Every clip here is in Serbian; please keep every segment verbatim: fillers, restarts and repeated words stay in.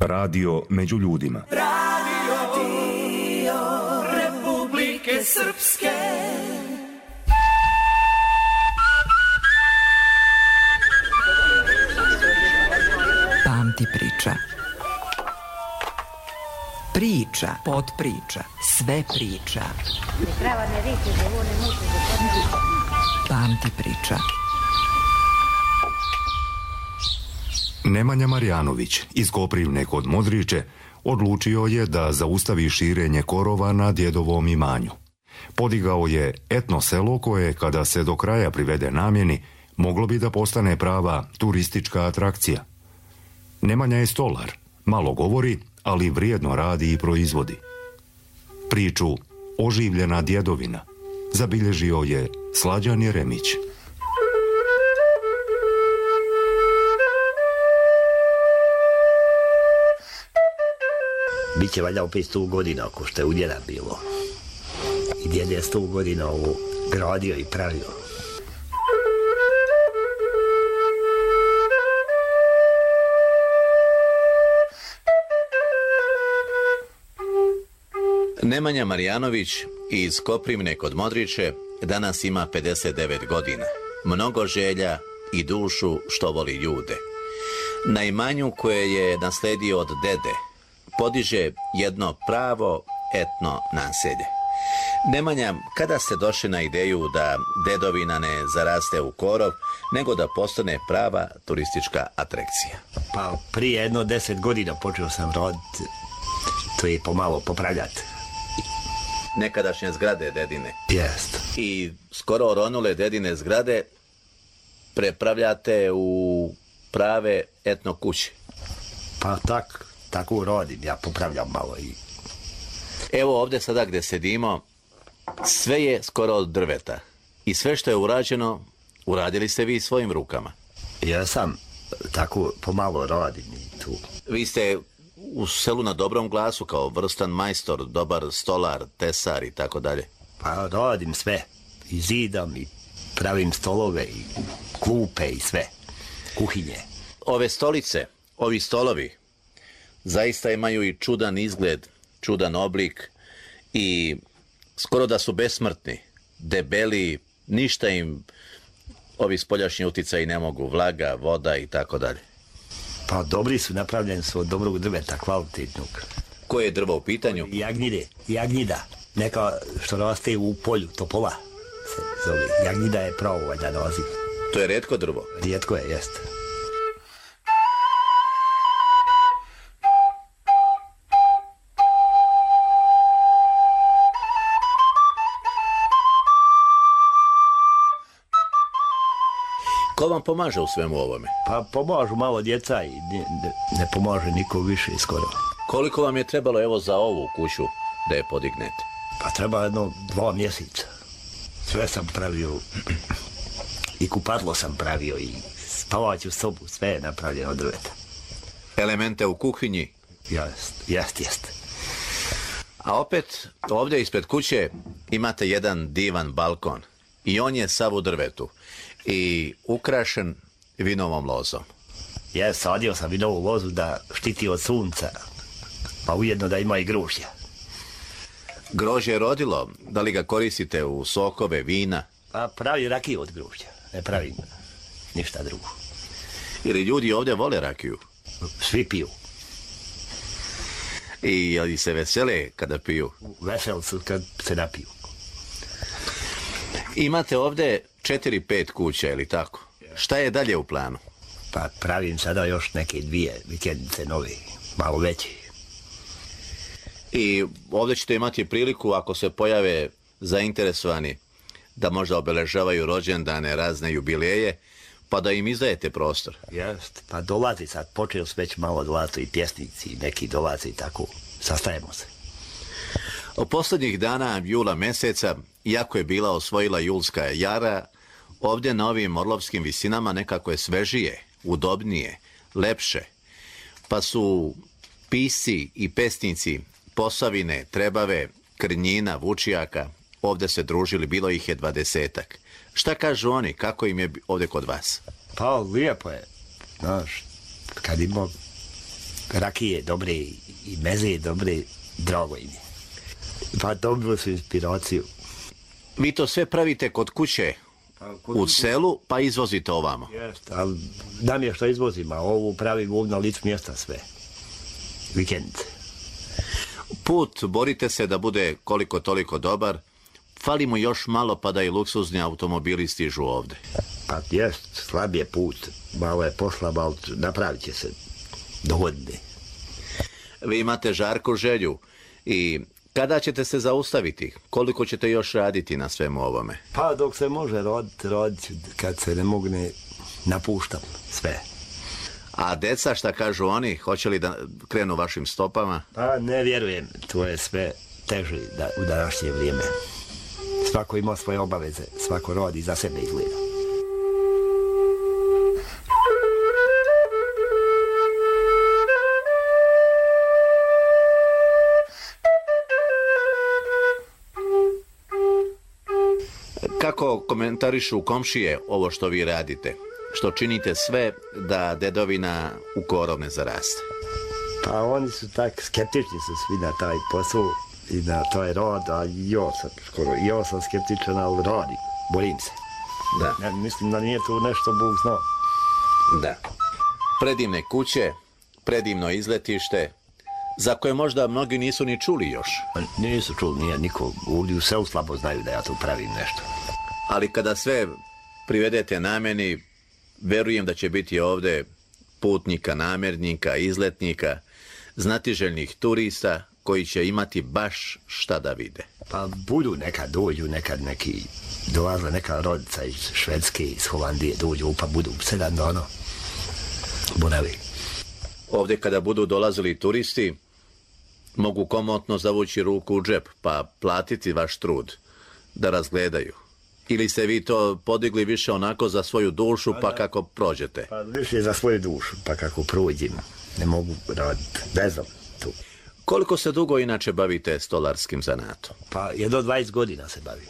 Radio među ljudima. Radio Republike Srpske. Pamti priča. Priča, podpriča, sve priča. Pamti priča. Nemanja Marjanović iz Koprivne kod Modriče odlučio je da zaustavi širenje korova na djedovom imanju. Podigao je etno selo koje, kada se do kraja privede namjeni, moglo bi da postane prava turistička atrakcija. Nemanja je stolar, malo govori, ali vrijedno radi i proizvodi. Priču Oživljena djedovina zabilježio je Slađan Jeremić. Biće valjda opet sto godina, ako što je u djeda bilo. I djed je sto godina ovo gradio i pravio. Nemanja Marjanović iz Koprivne kod Modriče danas ima pedeset devet godina. Mnogo želja i dušu što voli ljude. Na imanju koje je nasledio od dede podiže jedno pravo etno naselje. Nemanja, kada ste došli na ideju da dedovina ne zaraste u korov, nego da postane prava turistička atrakcija? Pa prije jedno deset godina počeo sam raditi, to je pomalo popravljati. Nekadašnje zgrade dedine. Jest. I skoro oronule dedine zgrade prepravljate u prave etno kuće. Pa tak, tako radim, ja popravljam malo i... Evo ovdje sada gdje sedimo, sve je skoro od drveta. I sve što je urađeno, uradili ste vi svojim rukama. Ja sam tako pomalo radim i tu. Vi ste u selu na dobrom glasu kao vrstan majstor, dobar stolar, tesar i tako dalje. Pa radim sve. I zidam, i pravim stolove, i klupe, i sve. Kuhinje. Ove stolice, ovi stolovi, zaista imaju i čudan izgled, čudan oblik i skoro da su besmrtni, debeli, ništa im ovi spoljašnji uticaji ne mogu, vlaga, voda i tako dalje. Pa dobri su, napravljeni su od dobrog drveta, kvalitetnog. Koje je drvo u pitanju? Jagnjide, jagnjida, neka što raste u polju, topola se zove. Jagnjida je pravo valjda naziv. To je retko drvo? Rijetko je, jeste. Ko vam pomaže u svemu ovome? Pa pomažu malo djeca i ne, ne, ne pomaže niko više skoro. Koliko vam je trebalo evo za ovu kuću da je podignete? Pa treba jedno dva mjeseca. Sve sam pravio i kupatlo sam pravio i spavaću sobu, sve je napravljeno od drveta. Elemente u kuhinji? Jest, jest, jest. A opet ovdje ispred kuće imate jedan divan balkon i on je sav u drvetu i ukrašen vinovom lozom. Ja sadio sam vinovu lozu da štiti od sunca, pa ujedno da ima i grožđa. Grožđe je rodilo, da li ga koristite u sokove, vina? Pa pravi rakiju od grožđa, ne pravim ništa drugo. Ili ljudi ovdje vole rakiju? Svi piju. I jel se vesele kada piju? Veseli su kad se napiju. Imate ovdje četiri, pet kuća, ili tako? Šta je dalje u planu? Pa pravim sada još neke dvije vikendice nove, malo veće. I ovdje ćete imati priliku, ako se pojave zainteresovani, da možda obeležavaju rođendane, razne jubileje, pa da im izdajete prostor. Jest, pa dolazi sad, počeo su već malo dolaziti i pjesnici, neki dolaze i tako, sastajemo se. Od posljednjih dana jula mjeseca, iako je bila osvojila julska jara, ovdje na ovim orlovskim visinama nekako je svežije, udobnije, lepše, pa su pisci i pesnici Posavine, Trebave, Krnjina, Vučijaka ovdje se družili, bilo ih je dvadesetak. Šta kažu oni, kako im je ovdje kod vas? Pa lijepo je, znaš, kad ima rakije dobre i meze dobre, drago im je. Pa dobilo su inspiraciju. Vi to sve pravite kod kuće, u selu, pa izvozite ovamo. Jeste, ali nam je što izvozimo, a ovu pravimo ovdje na licu mjesta sve. Vikendice. Put borite se da bude koliko toliko dobar, fali mu još malo pa da i luksuzni automobili stižu ovde. Pa jest, slab je put, malo je poslab, ali napravit će se do godine. Vi imate žarku želju i kada ćete se zaustaviti? Koliko ćete još raditi na svemu ovome? Pa dok se može raditi, radit ću, kad se ne mogne, napuštam sve. A deca, šta kažu oni? Hoće li da krenu vašim stopama? Pa ne vjerujem, to je sve teže da, u današnje vrijeme. Svako ima svoje obaveze, svako radi za sebe izgleda. Kako komentarišu komšije ovo što vi radite? Što činite sve da dedovina u korov ne zaraste? Pa oni su tak skeptični su svi na taj posao i na taj rad, a ja sam skoro, ja sam skeptičan, ali radim, borim se. Da. Ja mislim da nije to nešto Bog zna. Da. Predivne kuće, predivno izletište, za koje možda mnogi nisu ni čuli još. Pa nisu čuli, nije niko, ovdje u selu slabo znaju da ja tu pravim nešto. Ali kada sve privedete namjeni, verujem da će biti ovde putnika, namjernika, izletnika, znatiželjnih turista koji će imati baš šta da vide. Pa budu nekad dođu, nekad neki dolazla neka rodica iz Švedske, iz Holandije dođu, pa budu sedam dana boravi. Ovde kada budu dolazili turisti, mogu komotno zavući ruku u džep, pa platiti vaš trud da razgledaju. Ili ste vi to podigli više onako za svoju dušu, pa kako prođete? Pa više za svoju dušu, pa kako prođem. Ne mogu raditi, ne znam tu. Koliko se dugo inače bavite stolarskim zanatom? Pa jedno dvadeset godina se bavim.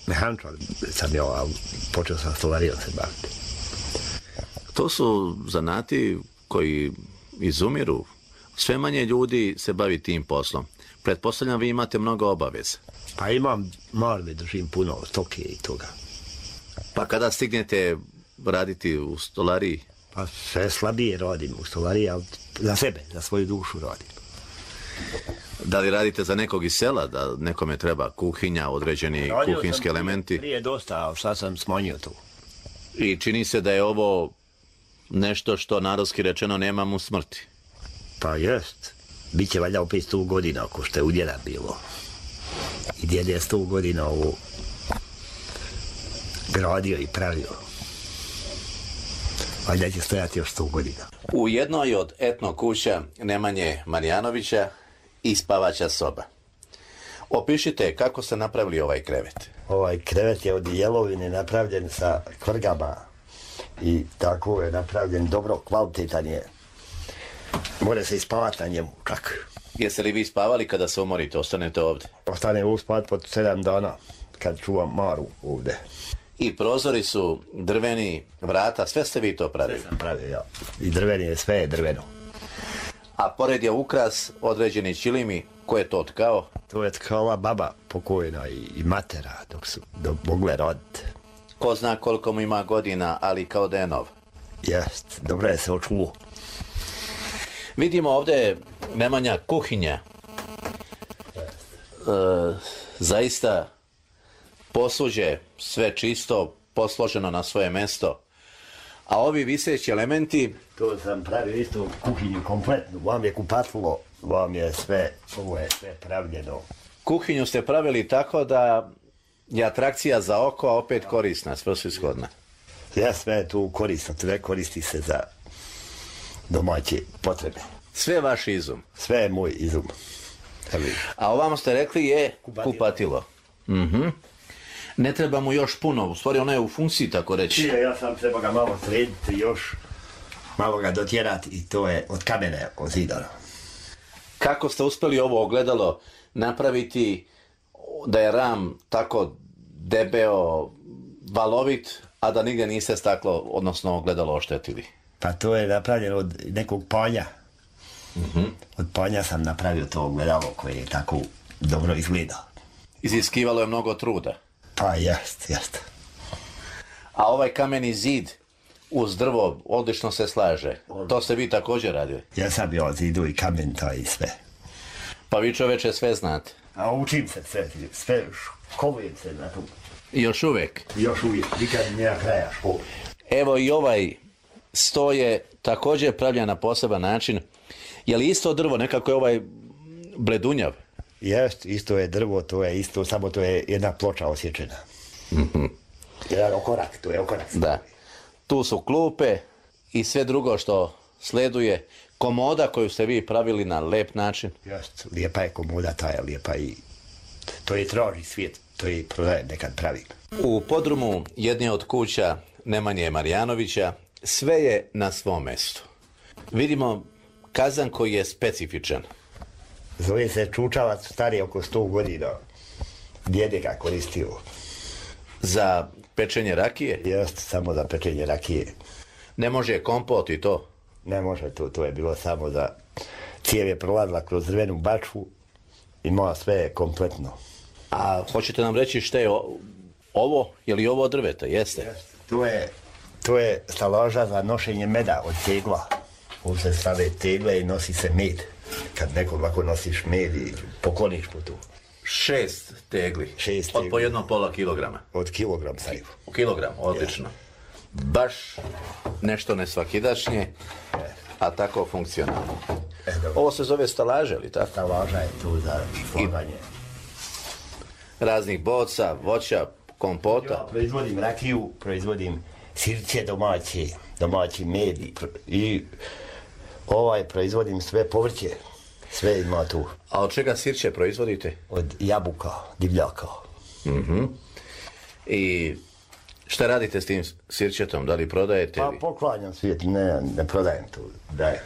Mehančar sam ja, ali počeo sam stolarijom se baviti. To su zanati koji izumiru. Sve manje ljudi se bavi tim poslom. Pretpostavljam vi imate mnogo obaveza. Pa imam marve, držim puno stoke i toga. Pa kada stignete raditi u stolariji? Pa sve slabije radim u stolariji, ali za sebe, za svoju dušu radim. Da li radite za nekog iz sela, da nekome treba kuhinja, određeni Radio kuhinjski sam elementi? Prije dosta, ali sad sam smanjio to. I čini se da je ovo nešto što narodski rečeno nema mu smrti. Pa jest. Biće valjda opet sto godina, ako što je u djeda bilo. I djed je sto godina ovo gradio i pravio. Valjda će stojati još sto godina. U jednoj od etno kuća Nemanje Marjanovića i spavaća soba. Opišite kako ste napravili ovaj krevet. Ovaj krevet je od jelovine napravljen sa kvrgama i tako je napravljen dobro, kvalitetan je. Može se ispavati na njemu, čak. Jeste li vi spavali kada se umorite, ostanete ovdje? Ostane u spat pod sedam dana, kad čuvam Maru ovdje. I prozori su drveni, vrata, sve ste vi to pravili? Sve sam pravio, ja. I drveni je, sve je drveno. A pored je ukras, određeni čilimi, ko je to tkao? To je tkala baba pokojna i, i matera, dok su dok mogle roditi. Ko zna koliko mu ima godina, ali kao da je nov. Jest, dobro je se očuo. Vidimo ovdje Nemanja kuhinja. E, zaista posuđe, sve čisto, posloženo na svoje mesto. A ovi viseći elementi... To sam pravio isto kuhinju kompletnu. Vam je kupatilo, vam je sve, ovo je sve pravljeno. Kuhinju ste pravili tako da je atrakcija za oko, a opet korisna, svrsishodna. Ja sve je tu korisno, sve koristi se za domaće potrebe. Sve je vaš izum. Sve je moj izum. Evo. A ovamo ste rekli je kupatilo. kupatilo. Mhm. Ne treba mu još puno, u stvari ono je u funkciji, tako reći. Ja sam treba ga malo srediti još, malo ga dotjerati i to je od kamene ozidano. Kako ste uspjeli ovo ogledalo napraviti da je ram tako debeo, valovit, a da nigdje niste staklo, odnosno ogledalo oštetili? Pa to je napravljeno od nekog polja. Uh-huh. Od panja sam napravio to ogledalo koje je tako dobro izgleda. Iziskivalo je mnogo truda. Pa jest, jest. A ovaj kameni zid uz drvo odlično se slaže. To ste vi također radili? Ja sam bio zidu i kamen, to i sve. Pa vi čoveče sve znate. A učim se sve, sve školujem se na tu. I još uvijek? Još uvijek, nikad nema kraja škole. Evo i ovaj sto je također pravljen na poseban način. Je li isto drvo, nekako je ovaj bledunjav? Jest, isto je drvo, to je isto, samo to je jedna ploča osječena. Mm-hmm. Jedan okorak, to je okorak. Da. Tu su klupe i sve drugo što sleduje. Komoda koju ste vi pravili na lep način. Jest, lijepa je komoda, ta je lijepa i to je traži svijet, to je prodajem nekad pravim. U podrumu jedne od kuća Nemanje Marijanovića sve je na svom mjestu. Vidimo kazan koji je specifičan. Zove se čučavac, stari oko sto godina. Djede ga koristio. Za pečenje rakije? Jest, samo za pečenje rakije. Ne može kompot i to? Ne može to, to je bilo samo za... Cijev je prolazila kroz drvenu bačvu i moja sve je kompletno. A hoćete nam reći šta je o... ovo? Je li ovo drveta? Jeste? Jest, to je, to je staloža za nošenje meda od tegla. Ovdje se stave tegle i nosi se med. Kad neko ovako nosiš med i pokloniš po tu. Šest tegli. Šest tegli. Od po jedno pola kilograma. Od kilogram saju. U kilogram, odlično. Ja. Baš nešto nesvakidašnje, a tako funkcionalno. E, ovo se zove stalaže, li tako? Stalaža je tu za slaganje. Raznih boca, voća, kompota. Ja proizvodim rakiju, proizvodim sirće domaće, domaći med i ovaj proizvodim sve povrće. Sve ima tu. A od čega sirće proizvodite? Od jabuka, divljaka. Mhm. I šta radite s tim sirćetom? Da li prodajete? Pa li? poklanjam svijet, ne, ne prodajem tu, dajem.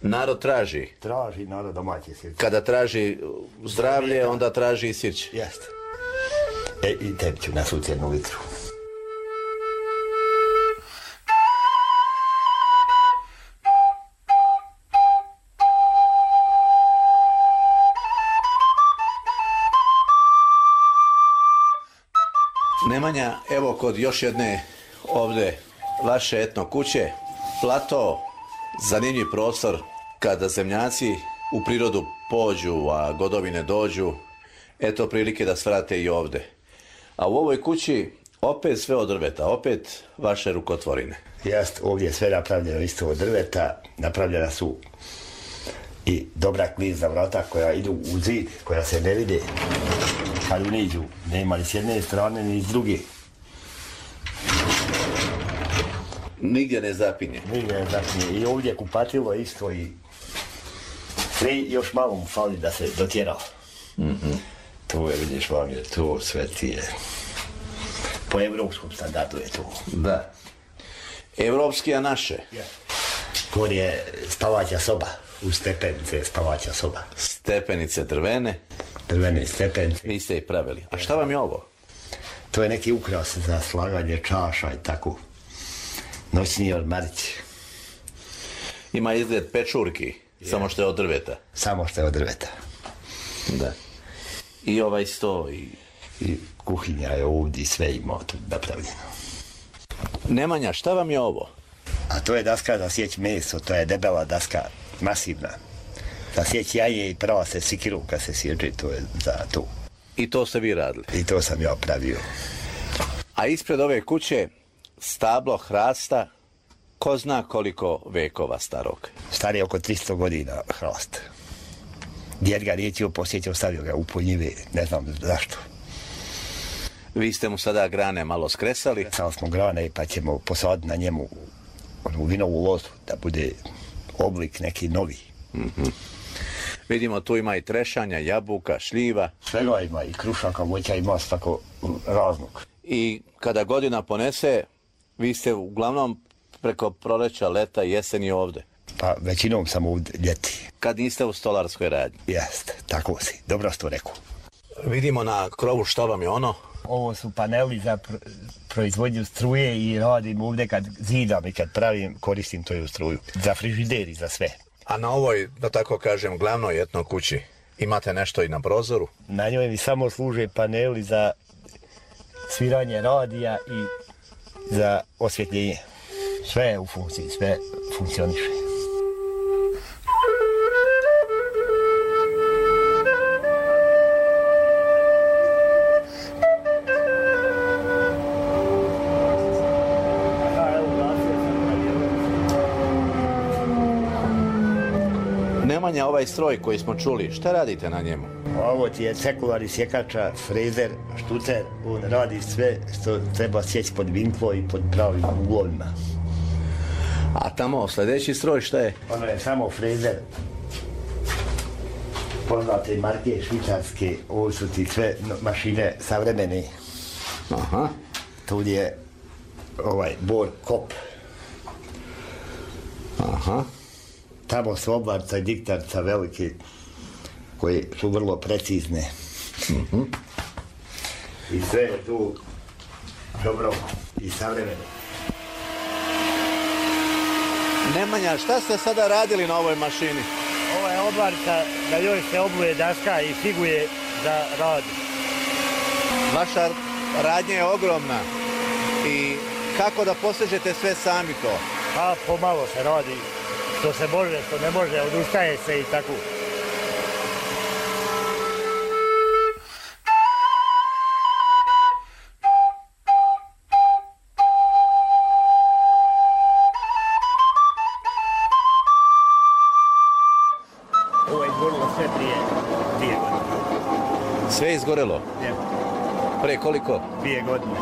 Narod traži. Traži narod domaće sirće. Kada traži zdravlje, onda traži i sirće. Jeste. E, i tebi ću nasuti jednu litru. Nemanja, evo kod još jedne ovdje vaše etno kuće, plato, zanimljiv prostor kada zemljaci u prirodu pođu, a godovine dođu, eto prilike da svrate i ovdje. A u ovoj kući opet sve od drveta, opet vaše rukotvorine. Jest, ovdje je sve napravljeno isto od drveta, napravljena su i dobra klizna vrata koja idu u zid, koja se ne vide. Kad uniđu, nema ni s jedne strane, ni s druge. Nigdje ne zapinje. Nigdje ne zapinje. I ovdje kupatilo isto i sve još malo mu fali da se dotjera. Mm-hmm. To je, vidiš vam, je to sve ti je. Po evropskom standardu je to. Da. Evropski, a naše? Kod je spavaća soba. U stepenice je spavaća soba. Stepenice drvene? Drvene stepenice. Vi ste ih pravili. A šta vam je ovo? To je neki ukras za slaganje čaša i tako. Noćni ormarić. Ima izgled pečurki, je. Samo što je od drveta. Samo što je od drveta. Da. I ovaj sto i... I kuhinja je ovdje i sve ima tu napravljeno. Nemanja, šta vam je ovo? A to je daska za sjeć meso, to je debela daska, masivna. Za sjeć jaje i prava se sikiru kad se sječe, to je za to. I to ste vi radili? I to sam ja pravio. A ispred ove kuće stablo hrasta, ko zna koliko vekova starog? Star je oko tristo godina hrast. Djed ga riječio, posjetio, stavio ga u poljive, ne znam zašto. Vi ste mu sada grane malo skresali? Samo smo grane pa ćemo posaditi na njemu onu vinovu lozu, da bude oblik neki novi. Mm-hmm. Vidimo, tu ima i trešanja, jabuka, šljiva. Svega ima, i krušaka, voća, ima tako raznog. I kada godina ponese, vi ste uglavnom preko proleća, leta i jeseni ovdje? Pa većinom sam ovdje ljeti. Kad niste u stolarskoj radnji? Jeste, tako si, dobro si to rekao. Vidimo na krovu što vam je ono? Ovo su paneli za pr proizvodnju struje i radim ovdje kad zidam i kad pravim, koristim to u struju. Za frižider i za sve. A na ovoj, da tako kažem, glavnoj etno kući, imate nešto i na prozoru? Na njoj mi samo služe paneli za sviranje radija i za osvjetljenje. Sve je u funkciji, sve funkcioniše. Nemanja, ovaj stroj koji smo čuli, šta radite na njemu? Ovo ti je sekularni sjekača, frezer, štucer, on radi sve što treba sjeći pod vinklo i pod pravim uglovima. A tamo sljedeći stroj šta je? Ono je samo frezer. Poznate marke švicarske, ovo su ti sve mašine savremene. Aha. Tu je ovaj bor kop. Aha. Tamo su oblarca i diktarca velike, koje su vrlo precizne. Mm-hmm. I sve je tu dobro i savremeno. Nemanja, šta ste sada radili na ovoj mašini? Ova je oblarca, da joj se obuje daska i figuje za rad. Vaša radnja je ogromna. I kako da postižete sve sami to? Pa pomalo se radi. Što se može, što ne može, odustaje se i tako. Ovo je izgorilo sve prije dvije godine. Sve je izgorelo? Je. Pre koliko? Dvije godine.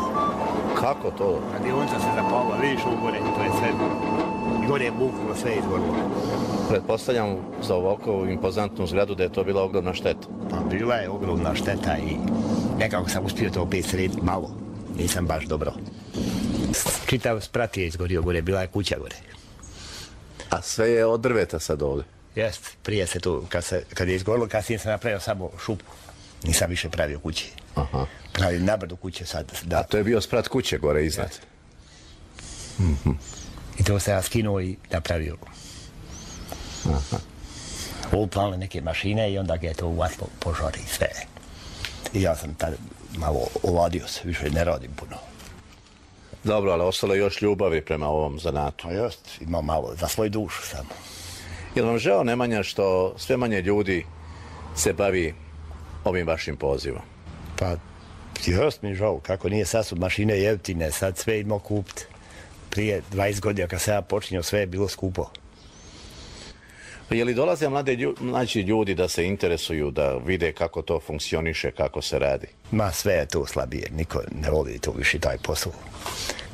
Kako to? Radionica se zapala, vidiš u gore, to je sve. I gore je buknulo, sve je izgorilo. Pretpostavljam za ovako impozantnu zgradu da je to bila ogromna šteta. Pa bila je ogromna šteta i nekako sam uspio to opet srediti malo. Nisam baš dobro. Čitav sprat je izgorio gore, bila je kuća gore. A sve je od drveta sad ovdje? Jest, prije se tu, kad, se, kad je izgorilo, kasnije sam napravio samo šupu. Nisam više pravio kuće. Aha. Pravim nabrdu kuće sad. Da. A to je bio sprat kuće gore iznad? Mm-hmm. I to sam ja skinuo i napravio. Aha. Upale neke mašine i onda ga je to uvatilo požari i sve. I ja sam tad malo oladio se, više ne radim puno. Dobro, ali ostalo je još ljubavi prema ovom zanatu. Pa just, imam malo, za svoju dušu samo. Je li vam žao, Nemanja, što sve manje ljudi se bavi ovim vašim pozivom? Pa, just mi žao, kako nije, sad su mašine jeftine, sad sve imao kupiti. Prije dvadeset godina kad sam ja počinio, sve je bilo skupo. Je li dolaze mlade ljudi, znači ljudi da se interesuju, da vide kako to funkcioniše, kako se radi? Ma sve je to slabije, niko ne voli to više taj posao.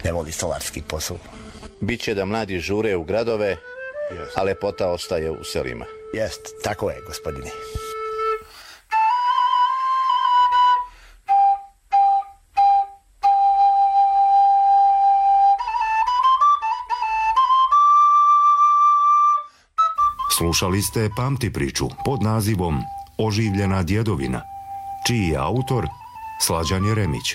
Ne voli stolarski posao. Biće da mladi žure u gradove, Just. a lepota ostaje u selima. Jest, tako je, gospodine. Slušali ste Pamti priču pod nazivom Oživljena djedovina, čiji je autor Slađan Jeremić.